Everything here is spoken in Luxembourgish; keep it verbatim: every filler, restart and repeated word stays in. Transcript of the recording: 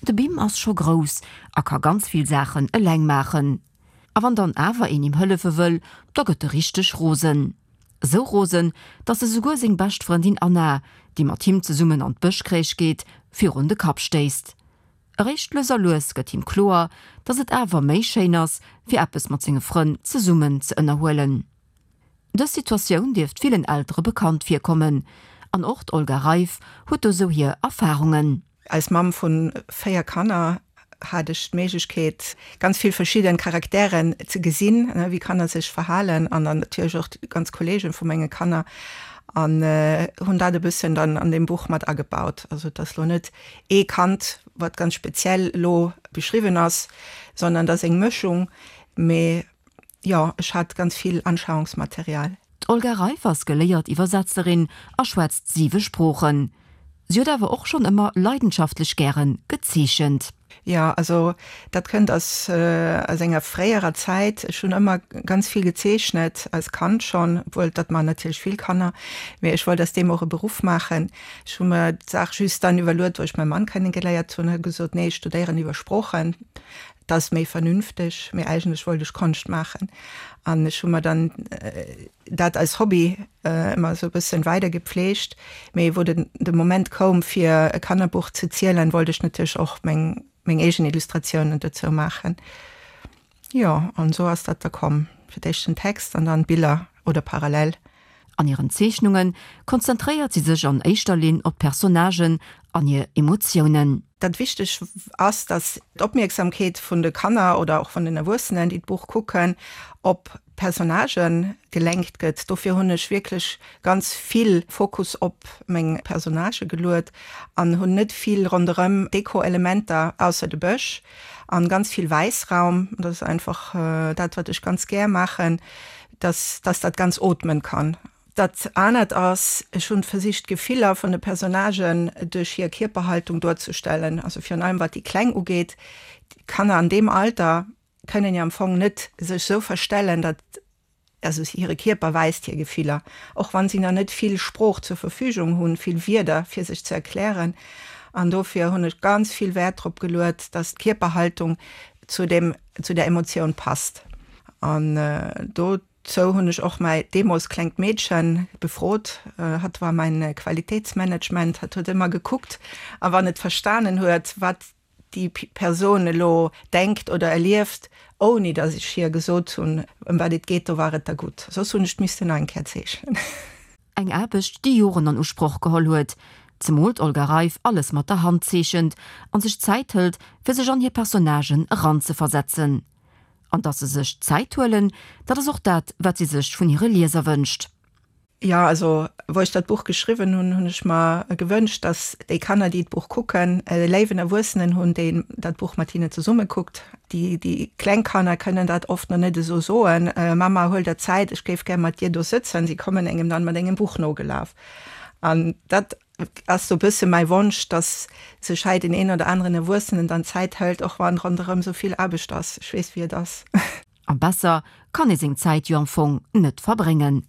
De Bim ass scho grouss a ka ganz vill Saachen eleng maachen. A wann dann awer een him hëllefe wëll, da gëtt e richteg rosen. Sou rosen, datt e souguer seng bescht Frëndin Anna, déi mat him zesummen an d'Bëschcrèche geet, virun de Kapp stéisst. Eréischt lues a lues gëtt him kloer, datt et awer méi schéin ass, fir eppes mat senge Frënn zesummen ze ënnerhuelen. Dës Situatioun dierft villen Eltere bekannt virkommen. An och d'Olga Reif huet do sou hir Erfarungen. Als Mamm vun véier Kanner hat ech d'Méiglechkeet, ganz vill verschidden Charakteren ze gesinn, wéi Kanner sech verhalen an dann natierlech och d'ganz Kollegen vu menge Kanner an hunn dat e bëssen dann an deem Buch mat agebaut. Also et ass lo net ee Kand, wat ganz speziell lo beschriwwen ass, sondern et ass eng Mëschung. Mee jo, ech hat ganz vill Anschauungsmaterial. D'Olga Reif ass geléiert Iwwersetzerin a schwätzt siwe Sproochen. Si huet awer och schonn ëmmer leidenschaftlech gäre gezeechent. Jo, also dat kënnt aus aus enger fréierer Zäit. Ech hunn ëmmer ganz vill gezeechnet, als Kand schonn, obwuel dat maachen natierlech vill Kanner, mee ech wollt aus deem och e Beruff maachen. Ech hu mer d'Saach just dann iwwerluet, wou ech mäi Mann kennegeléiert hunn, huet gesot, nee, ech studéieren iwwer Sproochen, dat ass méi vernünfteg, mee eigentlech wollt ech Konscht maachen. An ech hu mer dann dat als Hobby ëmmer esou e bëssen weider gepflegt. Mee wou den de Moment koum fir e Kannerbuch ze zielen, wollt ech natierlech och meng meng eegen Illustratiounen dozou maachen. Jo, an esou ass dat da komm, fir d'éischt den Text an dann d'Biller oder parallel. An hiren Zeechnunge konzentréiert si sech an éischter Linn op d'Personnagen an hir Emotiounen. Dat wichteg ass, dass d'Opmierksamkeet vun de Kanner oder och vun den Erwuessenen, déi d'Buch kucken, op d'Personnagë gelenkt gëtt. Dofir hunn ech wierklech ganz vill Fokus op meng Personnagë geluet an hunn net vill ronderëm Deko-Elementer, ausser de Bësch, an ganz vill Wäissraum. Dat ass einfach dat, wat ech ganz gär maachen, dass dass dat ganz ootmen kann. Dat anert ass, ech hunn versicht d'Gefiller vun de Personnagen duerch hir Kierperhaltung duerzestellen, also virun allem wat déi Kleng ugeet. Kanner an deem Alter kënnen jo am Fong net sech sou verstellen, datt, also hire Kierper weist hir Gefiller, och wann si nach net vill Sprooch zur Verfügung hunn, vill Wierder fir sech ze erklären. An dofir hunn ech ganz vill Wäert drop geluet, datt d'Kierperhaltung zu dem, zu der Emotioun passt. An do Sou hunn ech och mäi deemools klengt Meedchen befrot. Hatt war mäin Qualitéitsmanagement. Hatt huet ëmmer gekuckt a wann et verstanen huet, wat déi Persoun elo denkt oder erlieft, ouni datt ech hir gesot hunn, ëm wat et geet, do war et da gutt. Soss hunn ech et missten nach eng Kéier zeechnen. Eng Aarbecht, déi Joren an Usproch geholl huet, zemol d'Olga Reif alles mat der Hand zeechent an sech Zäit hëlt, fir sech an hir Personnagen eranzeversetzen. An dass se sech Zäit huelen, dat ass och dat, wat si sech vun hire Lieser wënscht. Jo, also wou ech dat Buch geschriwwen hunn, hunn ech mer gewënscht, dass déi Kanner, déi d'Buch kucken, e léiwen Erwuessenen hunn, deen dat Buch mat hinnen zesumme kuckt. Déi, déi kleng Kanner kënnen dat oft nach net esou soen, Mama, huel der Zäit, ech géif gär mat dir do sëtzen. Si kommen engem dann mat engem Buch nogelaf. An dat ass sou bësse mäi Wonsch, dass sech hei den een oder aneren Erwuessenen dann Zäit hëlt, och wann ronderëm sou vill Aarbecht ass. Ech weess, wéi et ass. A besser kann ee seng Zäit jo am Fong net verbréngen.